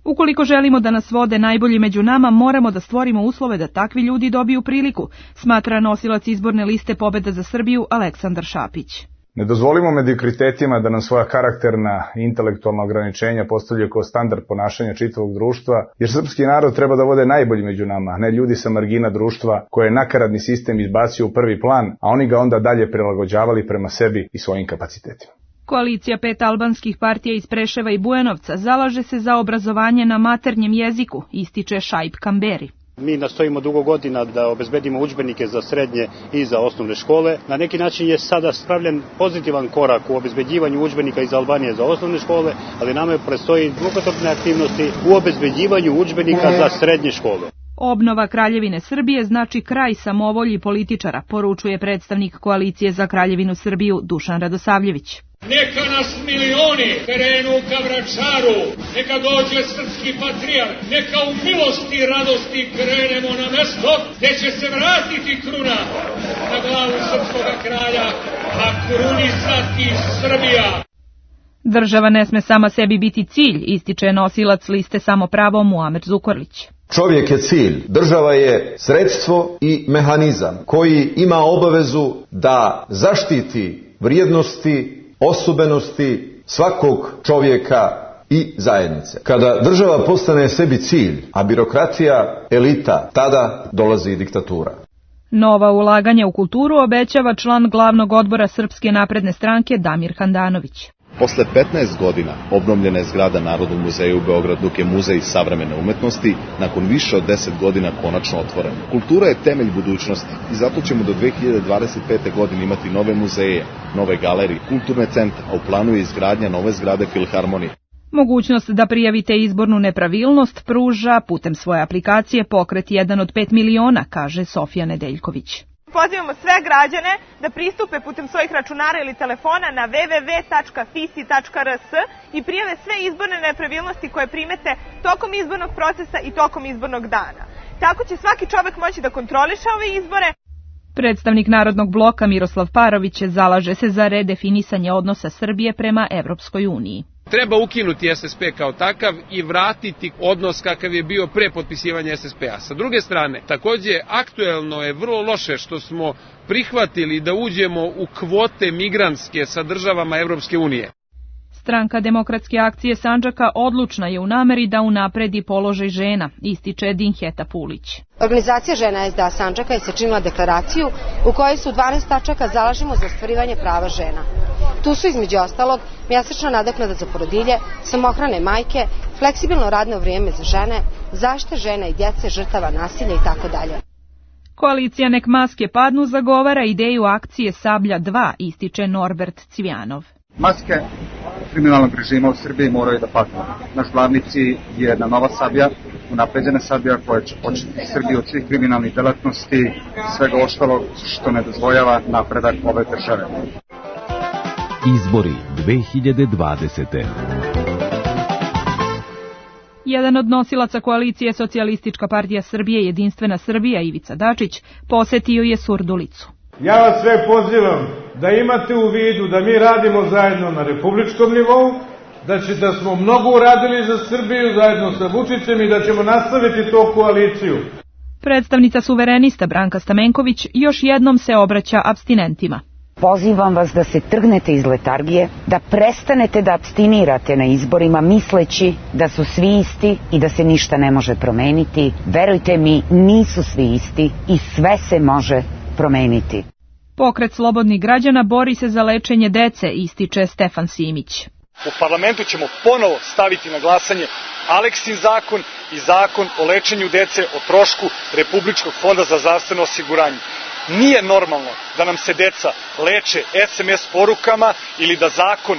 Ukoliko želimo da nas vode najbolji među nama, moramo da stvorimo uslove da takvi ljudi dobiju priliku, smatra nosilac izborne liste Pobeda za Srbiju Aleksandar Šapić. Ne dozvolimo mediokratetima da nam svoja karakterna i intelektualna ograničenja postavljaju kao standard ponašanja čitavog društva, jer srpski narod treba da vode najbolji među nama, a ne ljudi sa margina društva koje je nakaradni sistem izbacio u prvi plan, a oni ga onda dalje prilagođavali prema sebi i svojim kapacitetima. Koalicija pet albanskih partija iz Preševa i Bujanovca zalaže se za obrazovanje na maternjem jeziku, ističe Šaip Kamberi. Mi nastojimo dugo godina da obezbedimo udžbenike za srednje i za osnovne škole. Na neki način je sada spravljen pozitivan korak u obezbeđivanju udžbenika iz Albanije za osnovne škole, ali nama predstoji mukotrpne aktivnosti u obezbeđivanju udžbenika za srednje škole. Obnova Kraljevine Srbije znači kraj samovolji političara, poručuje predstavnik Koalicije za Kraljevinu Srbiju Dušan Radosavljević. Neka nas milioni krenu ka Vračaru, neka dođe srpski patrijarh, neka u milosti i radosti krenemo na mesto gde će se vratiti kruna na glavu srpskog kralja, a krunisati Srbija. Država ne sme sama sebi biti cilj, ističe nosilac liste Samopravo Muamer Zukorlić. Čovjek je cilj, država je sredstvo i mehanizam koji ima obavezu da zaštiti vrijednosti, osobenosti svakog čovjeka i zajednice. Kada država postane sebi cilj, a birokratija elita, tada dolazi diktatura. Nova ulaganja u kulturu obećava član glavnog odbora Srpske napredne stranke Damir Handanović. Posle petnaest godina obnovljena je zgrada Narodnog muzeja u Beogradu, dok je muzej savremene umetnosti nakon više od deset godina konačno otvoren. Kultura je temelj budućnosti i zato ćemo do dve hiljade dvadeset pete. godine imati nove muzeje, nove galerije, kulturne centre, a u planu je izgradnja nove zgrade Filharmonije. Mogućnost da prijavite izbornu nepravilnost pruža putem svoje aplikacije Pokret jedan od pet miliona, kaže Sofija Nedeljković. Pozivamo sve građane da pristupe putem svojih računara ili telefona na w w w tačka f i s i tačka r s i prijave sve izborne nepravilnosti koje primete tokom izbornog procesa i tokom izbornog dana. Tako će svaki čovek moći da kontroliše ove izbore. Predstavnik Narodnog bloka Miroslav Parović zalaže se za redefinisanje odnosa Srbije prema Evropskoj uniji. Treba ukinuti S S P kao takav i vratiti odnos kakav je bio pre potpisivanja S S P-a. Sa druge strane, takođe aktuelno je vrlo loše što smo prihvatili da uđemo u kvote migrantske sa državama Evropske unije. Stranka Demokratske akcije Sandžaka odlučna je u nameri da unapredi položaj žena, ističe Dinheta Pulić. Organizacija žena S D A Sandžaka je sačinila deklaraciju u kojoj se u dvanaest tačaka zalažemo za ostvarivanje prava žena. Tu su između ostalog mjesečna nadoknada za porodilje, samohrane majke, fleksibilno radno vrijeme za žene, zaštita žena i djece žrtava nasilja i tako dalje. Koalicija Nek maske padnu zagovara ideju akcije Sablja dva, ističe Norbert Cvijanov. Maske kriminalnog režima u Srbiji moraju da padnu. Naš glavni cilj je jedna nova Sablja, unapređena Sablja koja će početi Srbiju od svih kriminalnih delatnosti, svega ostalog što ne dozvoljava napredak ove države. Izbori dve hiljade dvadesete. Jedan od nosilaca koalicije Socijalistička partija Srbije Jedinstvena Srbija Ivica Dačić posetio je Surdulicu. Ja vas sve pozivam da imate u vidu da mi radimo zajedno na republičkom nivou, da, će, da smo mnogo uradili za Srbiju zajedno sa Vučićem i da ćemo nastaviti tu koaliciju. Predstavnica suverenista Branka Stamenković još jednom se obraća apstinentima. Pozivam vas da se trgnete iz letargije, da prestanete da apstinirate na izborima misleći da su svi isti i da se ništa ne može promeniti. Verujte mi, nisu svi isti i sve se može promeniti. Pokret slobodnih građana bori se za lečenje dece, ističe Stefan Simić. U parlamentu ćemo ponovo staviti na glasanje Aleksin zakon i zakon o lečenju dece o trošku Republičkog fonda za zdravstveno osiguranje. Nije normalno da nam se deca leče S M S porukama ili da zakon,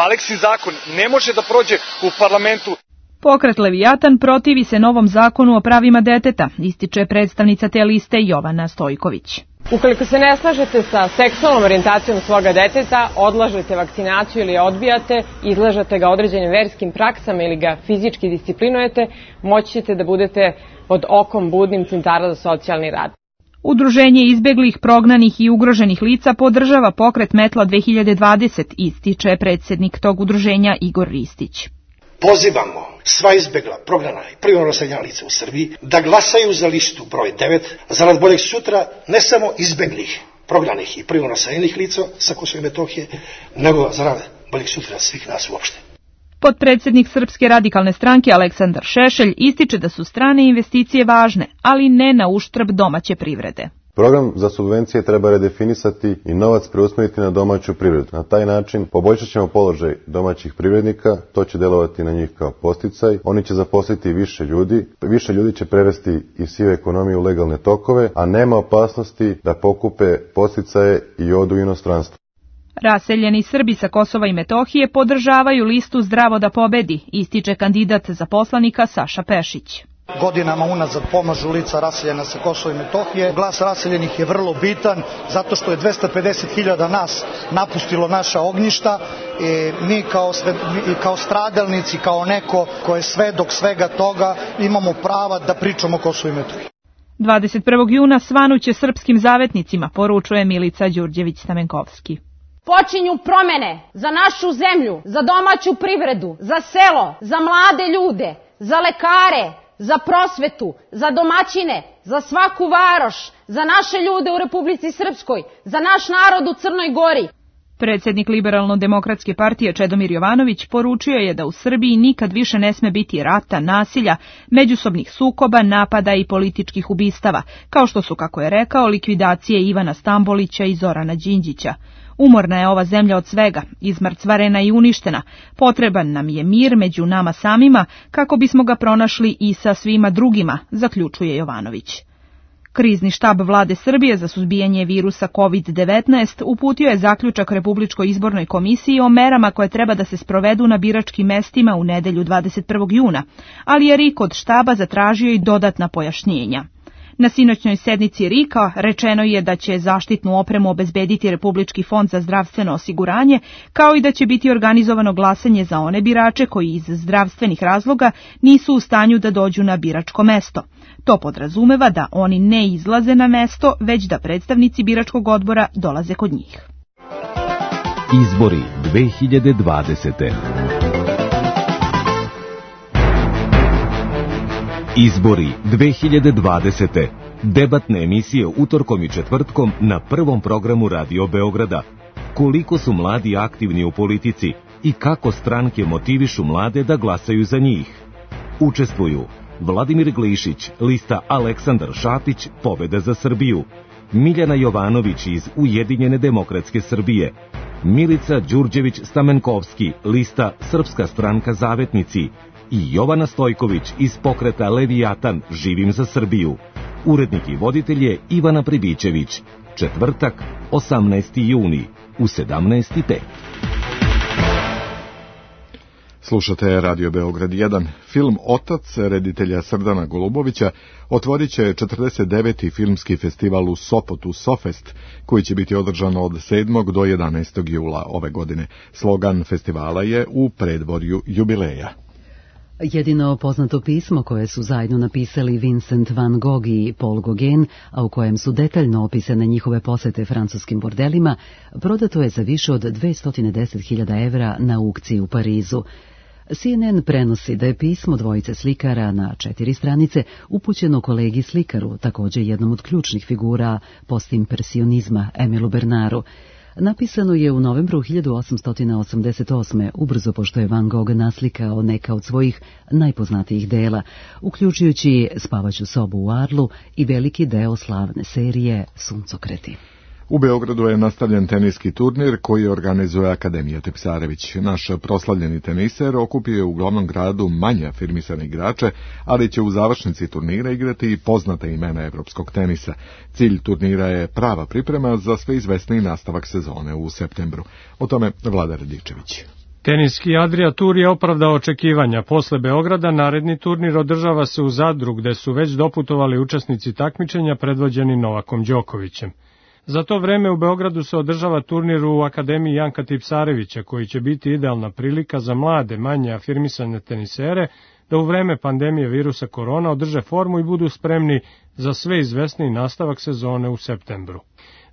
Aleksin zakon ne može da prođe u parlamentu. Pokret Levijatan protivi se novom zakonu o pravima deteta, ističe predstavnica te liste Jovana Stojković. Ukoliko se ne slažete sa seksualnom orijentacijom svoga deteta, odlažete vakcinaciju ili je odbijate, izlažete ga određenim verskim praksama ili ga fizički disciplinujete, moći ćete da budete pod okom budnim centara za socijalni rad. Udruženje izbeglih, prognanih i ugroženih lica podržava pokret Metla dve hiljade dvadeset, ističe predsjednik tog udruženja Igor Ristić. Pozivamo sva izbegla, prognana i privremeno naseljena lica u Srbiji da glasaju za listu broj devet zarad boljeg sutra ne samo izbeglih, prognanih i privremeno naseljenih lica sa Kosova i Metohije, nego zarad boljeg sutra svih nas uopšte. Potpredsjednik Srpske radikalne stranke Aleksandar Šešelj ističe da su strane investicije važne, ali ne na uštrb domaće privrede. Program za subvencije treba redefinisati i novac preusmeriti na domaću privredu. Na taj način poboljšat ćemo položaj domaćih privrednika, to će delovati na njih kao podsticaj, oni će zaposliti više ljudi, više ljudi će prevesti iz sive ekonomije u legalne tokove, a nema opasnosti da pokupe podsticaje i odu u inostranstvo. Raseljeni Srbi sa Kosova i Metohije podržavaju listu Zdravo da pobedi, ističe kandidat za poslanika Saša Pešić. Godinama unazad pomažu lica raseljena sa Kosova i Metohije. Glas raseljenih je vrlo bitan zato što je dvesta pedeset hiljada nas napustilo naša ognjišta i mi kao, sve, mi kao stradalnici, kao neko ko je svedok svega toga, imamo prava da pričamo o Kosovu i Metohiji. dvadeset prvog juna svanuće srpskim zavetnicima, poručuje Milica Đurđević-Stamenkovski. Počinju promene za našu zemlju, za domaću privredu, za selo, za mlade ljude, za lekare, za prosvetu, za domaćine, za svaku varoš, za naše ljude u Republici Srpskoj, za naš narod u Crnoj Gori. Predsjednik Liberalno-demokratske partije Čedomir Jovanović poručio je da u Srbiji nikad više ne sme biti rata, nasilja, međusobnih sukoba, napada i političkih ubistava, kao što su, kako je rekao, likvidacije Ivana Stambolića i Zorana Đinđića. Umorna je ova zemlja od svega, izmrcvarena i uništena. Potreban nam je mir među nama samima kako bismo ga pronašli i sa svima drugima, zaključuje Jovanović. Krizni štab vlade Srbije za suzbijanje virusa kovid devetnaest uputio je zaključak Republičkoj izbornoj komisiji o merama koje treba da se sprovedu na biračkim mestima u nedelju dvadeset prvog juna, ali je R I K od štaba zatražio i dodatna pojašnjenja. Na sinoćnoj sednici R I K-a rečeno je da će zaštitnu opremu obezbediti Republički fond za zdravstveno osiguranje, kao i da će biti organizovano glasanje za one birače koji iz zdravstvenih razloga nisu u stanju da dođu na biračko mesto. To podrazumeva da oni ne izlaze na mesto, već da predstavnici biračkog odbora dolaze kod njih. Izbori dve hiljade dvadesete. Izbori dve hiljade dvadesete. Debatne emisije utorkom i četvrtkom na prvom programu Radio Beograda. Koliko su mladi aktivni u politici i kako stranke motivišu mlade da glasaju za njih. Učestvuju Vladimir Glišić, lista Aleksandar Šapić, Pobeda za Srbiju, Miljana Jovanović iz Ujedinjene demokratske Srbije, Milica Đurđević-Stamenkovski, lista Srpska stranka Zavetnici i Jovana Stojković iz pokreta Levijatan, Živim za Srbiju. Urednik i voditelj je Ivana Pribićević. Četvrtak, osamnaesti juni, u sedamnaest i pet. Slušate Radio Beograd jedan. Film Otac reditelja Srdana Golubovića otvorit će četrdeset deveti filmski festival u Sopotu Sofest, koji će biti održan od sedmog do jedanaestog jula ove godine. Slogan festivala je U predvorju jubileja. Jedino poznato pismo koje su zajedno napisali Vincent van Gogh i Paul Gauguin, a u kojem su detaljno opisane njihove posete francuskim bordelima, prodato je za više od dvesta deset hiljada evra na aukciji u Parizu. C N N prenosi da je pismo dvojice slikara na četiri stranice upućeno kolegi slikaru, također jednom od ključnih figura postimpresionizma Emilu Bernaru. Napisano je u novembru hiljadu osamsto osamdeset osme, ubrzo pošto je Van Gogh naslikao neka od svojih najpoznatijih dela, uključujući Spavaću sobu u Arlu i veliki deo slavne serije Suncokreti. U Beogradu je nastavljen teniski turnir koji organizuje Akademija Tipsarević. Naš proslavljeni teniser okupio je u glavnom gradu manje afirmisane igrače, ali će u završnici turnira igrati i poznata imena evropskog tenisa. Cilj turnira je prava priprema za sve izvesniji nastavak sezone u septembru. O tome Vlada Radičević. Teniski Adria Tour je opravdao očekivanja. Posle Beograda naredni turnir održava se u Zadru, gde su već doputovali učesnici takmičenja predvođeni Novakom Đokovićem. Za to vreme u Beogradu se održava turnir u Akademiji Janka Tipsarevića, koji će biti idealna prilika za mlade, manje afirmisane tenisere da u vreme pandemije virusa korona održe formu i budu spremni za sve izvesniji nastavak sezone u septembru.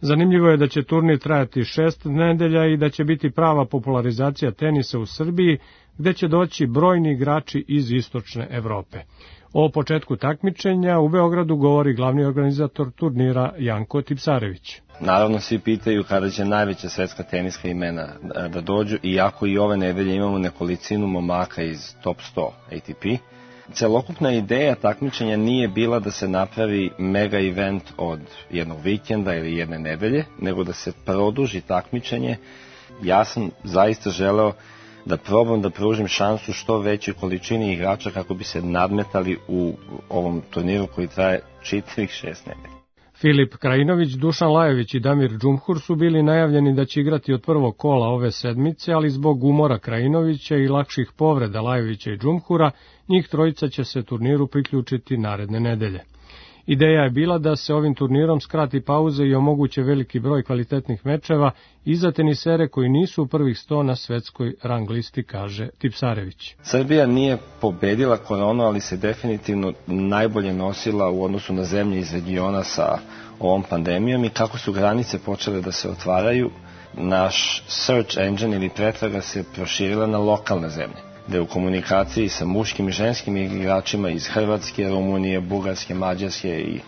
Zanimljivo je da će turnir trajati šest nedelja i da će biti prava popularizacija tenisa u Srbiji, gde će doći brojni igrači iz istočne Evrope. O početku takmičenja u Beogradu govori glavni organizator turnira Janko Tipsarević. Naravno, svi pitaju kada će najveća svetska teniska imena da dođu, iako i ove nedelje imamo nekolicinu momaka iz top sto A T P. Celokupna ideja takmičenja nije bila da se napravi mega event od jednog vikenda ili jedne nedelje, nego da se produži takmičenje. Ja sam zaista želeo da probam da pružim šansu što većoj količini igrača kako bi se nadmetali u ovom turniru koji traje čitavih šest nedelja. Filip Krajinović, Dušan Lajović i Damir Džumhur su bili najavljeni da će igrati od prvog kola ove sedmice, ali zbog umora Krajinovića i lakših povreda Lajovića i Džumhura, njih trojica će se turniru priključiti naredne nedelje. Ideja je bila da se ovim turnirom skrati pauza i omoguće veliki broj kvalitetnih mečeva i za tenisere koji nisu u prvih sto na svetskoj rang listi, kaže Tipsarević. Srbija nije pobedila koronu, ali se definitivno najbolje nosila u odnosu na zemlje iz regiona sa ovom pandemijom i kako su granice počele da se otvaraju, naš search engine ili pretraga se proširila na lokalne zemlje, da je u komunikaciji sa muškim i ženskim igračima iz Hrvatske, Rumunije, Bugarske, Mađarske i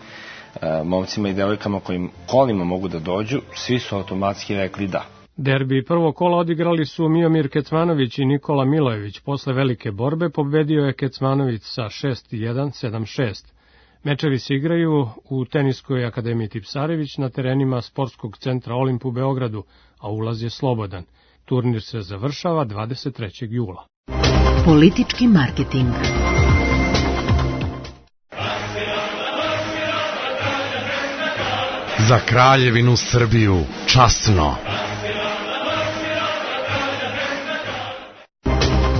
e, momcima i devojkama kojim kolima mogu da dođu, svi su automatski rekli da. Derbi prvo kola odigrali su Miomir Kecmanović i Nikola Milojević. Posle velike borbe pobedio je Kecmanović sa šest jedan, sedam šest. Mečevi se igraju u Teniskoj akademiji Tipsarević na terenima Sportskog centra Olimp u Beogradu, a ulaz je slobodan. Turnir se završava dvadeset trećeg jula. Politički marketing. Za Kraljevinu Srbiju časno.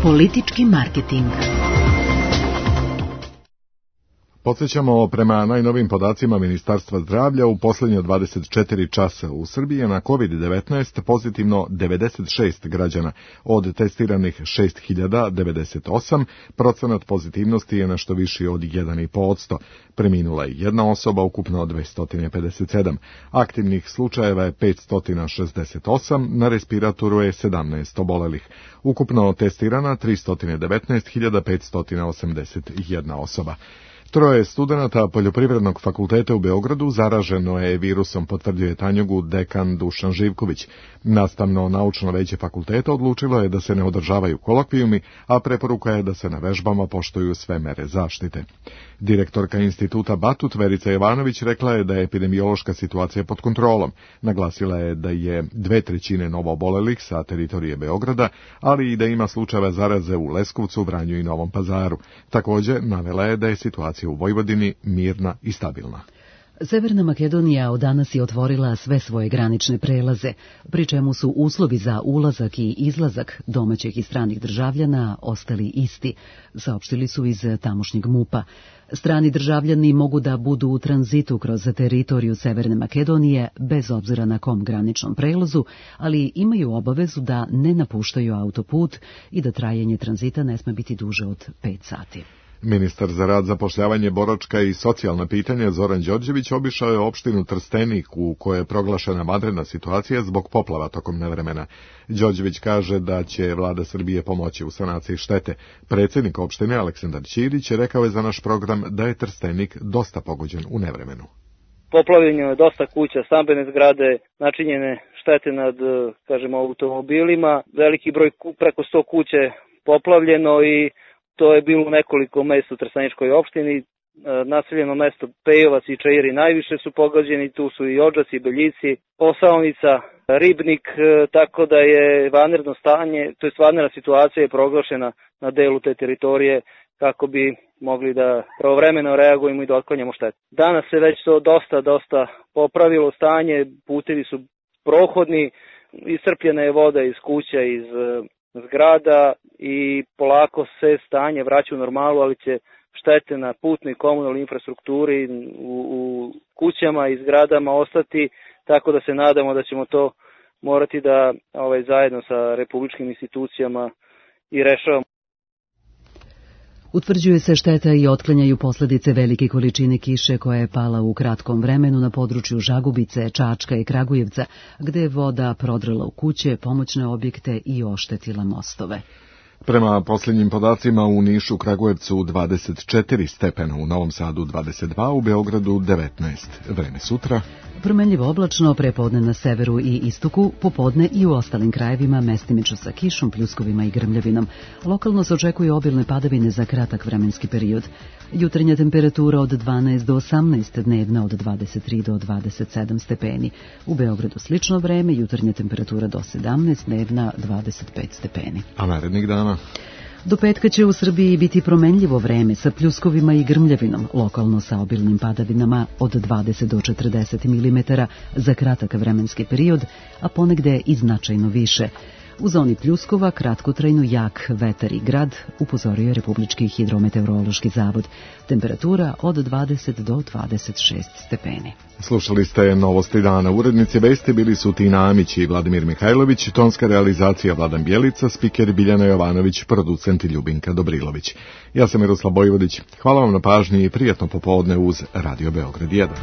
Politički marketing. Podsjećamo, prema najnovim podacima Ministarstva zdravlja, u posljednje dvadeset četiri časa u Srbiji je na kovid devetnaest pozitivno devedeset šest građana, od testiranih šest hiljada devedeset osam, procenat pozitivnosti je nešto viši od jedan i po posto. Preminula je jedna osoba, ukupno dvesta pedeset sedam. Aktivnih slučajeva je petsto šezdeset osam, na respiratoru je sedamnaest obolelih. Ukupno testirana tristo devetnaest hiljada petsto osamdeset jedna osoba. Troje studenata Poljoprivrednog fakulteta u Beogradu zaraženo je virusom, potvrdio Tanjugu dekan Dušan Živković. Nastavno-naučno veće fakulteta odlučilo je da se ne održavaju kolokvijumi, a preporuka je da se na vežbama poštuju sve mere zaštite. Direktorka instituta Batut Verica Jovanović rekla je da je epidemiološka situacija pod kontrolom. Naglasila je da je dve trećine novoobolelih sa teritorije Beograda, ali i da ima slučajeva zaraze u Leskovcu, Vranju i Novom Pazaru. Također navela je da je situacija u Vojvodini mirna i stabilna. Severna Makedonija od danas je otvorila sve svoje granične prelaze, pri čemu su uslovi za ulazak i izlazak domaćih i stranih državljana ostali isti, saopštili su iz tamošnjeg MUP-a. Strani državljani mogu da budu u tranzitu kroz teritoriju Severne Makedonije bez obzira na kom graničnom prelazu, ali imaju obavezu da ne napuštaju autoput i da trajanje tranzita ne sme biti duže od pet sati. Ministar za rad, zapošljavanje, boračka i socijalna pitanja Zoran Đorđević obišao je opštinu Trstenik u kojoj je proglašena vanredna situacija zbog poplava tokom nevremena. Đorđević kaže da će vlada Srbije pomoći u sanaciji štete. Predsjednik opštine Aleksandar Ćirić rekao je za naš program da je Trstenik dosta pogođen u nevremenu. Poplavljeno je dosta kuća, stambene zgrade, načinjene štete nad, kažemo, automobilima, veliki broj, preko sto kuće poplavljeno i to je bilo u nekoliko mesta u Trsteničkoj opštini. Naseljeno mesto Pejovac i Čairi najviše su pogođeni, tu su i Odžaci, i Beljici, Posaonica, Ribnik, tako da je vanredno stanje, to je vanredna situacija je proglašena na delu te teritorije kako bi mogli da pravovremeno reagujemo i da otklanjamo štetu. Danas se već to dosta, dosta popravilo stanje, putevi su prohodni, iscrpljena je voda iz kuća, iz zgrada i polako se stanje vraća u normalu, ali će štete na putnoj i komunalnoj infrastrukturi u, u kućama i zgradama ostati, tako da se nadamo da ćemo to morati da ovaj, zajedno sa republičkim institucijama i rešavamo. Utvrđuje se šteta i otklanjaju posljedice velike količine kiše koja je pala u kratkom vremenu na području Žagubice, Čačka i Kragujevca, gde je voda prodrela u kuće, pomoćne objekte i oštetila mostove. Prema posljednjim podacima u Nišu, Kragujevcu dvadeset četiri stepena, u Novom Sadu dvadeset dva, u Beogradu devetnaest. Vreme sutra. Promenljivo oblačno, prepodne na severu i istoku, popodne i u ostalim krajevima mestimično sa kišom, pljuskovima i grmljavinom. Lokalno se očekuju obilne padavine za kratak vremenski period. Jutarnja temperatura od dvanaest do osamnaest, dnevna od dvadeset tri do dvadeset sedam stepeni. U Beogradu slično vreme, jutarnja temperatura do sedamnaest, dnevna dvadeset pet stepeni. A narednih dana? Do petka će u Srbiji biti promenljivo vreme sa pljuskovima i grmljavinom, lokalno sa obilnim padavinama od dvadeset do četrdeset milimetara za kratak vremenski period, a ponegde i značajno više. U zoni pljuskova kratkotrajno jak vetar i grad, upozorio je Republički hidrometeorološki zavod. Temperatura od dvadeset do dvadeset šest stepeni. Slušali ste Novosti dana. Urednici vesti bili su Tina Amić i Vladimir Mihajlović, tonska realizacija Vladan Bjelica, spiker Biljana Jovanović, producent Ljubinka Dobrilović. Ja sam Miroslav Bojvodić. Hvala vam na pažnji i prijatno popodne uz Radio Beograd jedan.